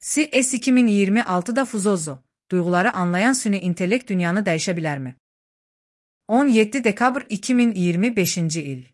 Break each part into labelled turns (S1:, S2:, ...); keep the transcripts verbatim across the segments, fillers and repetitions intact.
S1: C S iki min iyirmi altıda Fuzozo, duyguları anlayan süni intellekt dünyanı dəyişə bilərmi? on yeddi dekabr iki min iyirmi beşinci il.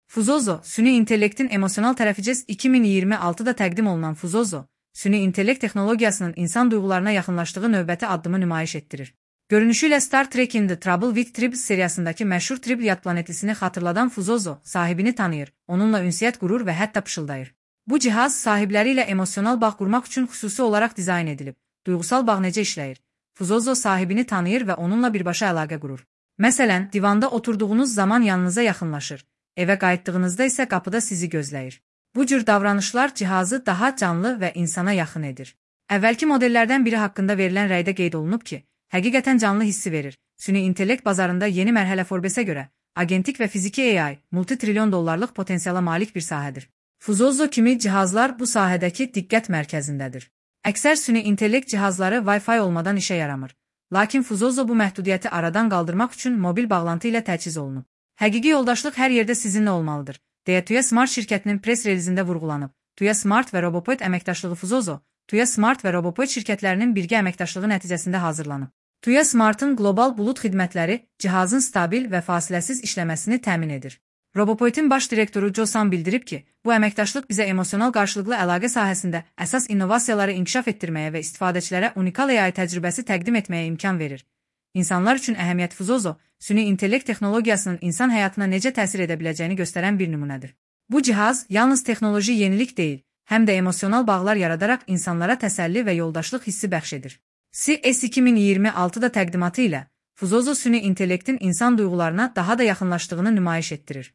S1: Fuzozo, süni intellektin emosional tərəfi iki min iyirmi altıda təqdim olunan Fuzozo, süni intellekt texnologiyasının insan duyğularına yaxınlaşdığı növbəti addımı nümayiş etdirir. Görünüşü ilə Star Trek'in The Trouble with Tribbles seriyasındakı məşhur Tribble yad planetlisini xatırladan Fuzozo, sahibini tanıyır, onunla ünsiyyət qurur və hətta pışıldayır. Bu cihaz sahibləri ilə emosional bağ qurmaq üçün xüsusi olaraq dizayn edilib. Duyğusal bağ necə işləyir? Fuzozo sahibini tanıyır və onunla birbaşa əlaqə qurur. Məsələn, divanda oturduğunuz zaman yanınıza yaxınlaşır, evə qayıtdığınızda isə qapıda sizi gözləyir. Bu cür davranışlar cihazı daha canlı və insana yaxın edir. Əvvəlki modellərdən biri haqqında verilən rəydə qeyd olunub ki, həqiqətən canlı hissi verir. Süni intellekt bazarında yeni mərhələ Forbes-ə görə, agentik və fiziki A I, multitrilyon dollarlıq potensiala malik bir sahədir. Fuzozo kimi cihazlar bu sahədəki diqqət mərkəzindədir. Əksər süni intellekt cihazları Wi-Fi olmadan işə yaramır. Lakin Fuzozo bu məhdudiyyəti aradan qaldırmaq üçün mobil bağlantı ilə təchiz olunub. Həqiqi yoldaşlıq hər yerdə sizinlə olmalıdır, deyə Tuya Smart şirkətinin press relizində vurğulanıb. Tuya Smart və Robopoint əməkdaşlığı Fuzozo, Tuya Smart və Robopoint şirkətlərinin birgə əməkdaşlığı nəticəsində hazırlanıb. Tuya Smart'ın qlobal bulut xidmətləri cihazın stabil və fasiləsiz işləməsini təmin edir. Robopoint'in baş direktoru Joe Sam bildirib ki, bu əməkdaşlıq bizə emosional qarşılıqlı əlaqə sahəsində əsas innovasiyaları inkişaf etdirməyə və istifadəçilərə unikal A I təcrübəsi təqdim etməyə imkan verir. İnsanlar üçün əhəmiyyət Fuzozo, süni intellekt texnologiyasının insan həyatına necə təsir edə biləcəyini göstərən bir nümunədir. Bu cihaz yalnız texnoloji yenilik deyil, həm də emosional bağlar yaradaraq insanlara təsəlli və yoldaşlıq hissi bəxş edir. C S iki min iyirmi altıda təqdimatı ilə Fuzozo süni intellektin insan duyğularına daha da yaxınlaşdığını nümayiş etdirir.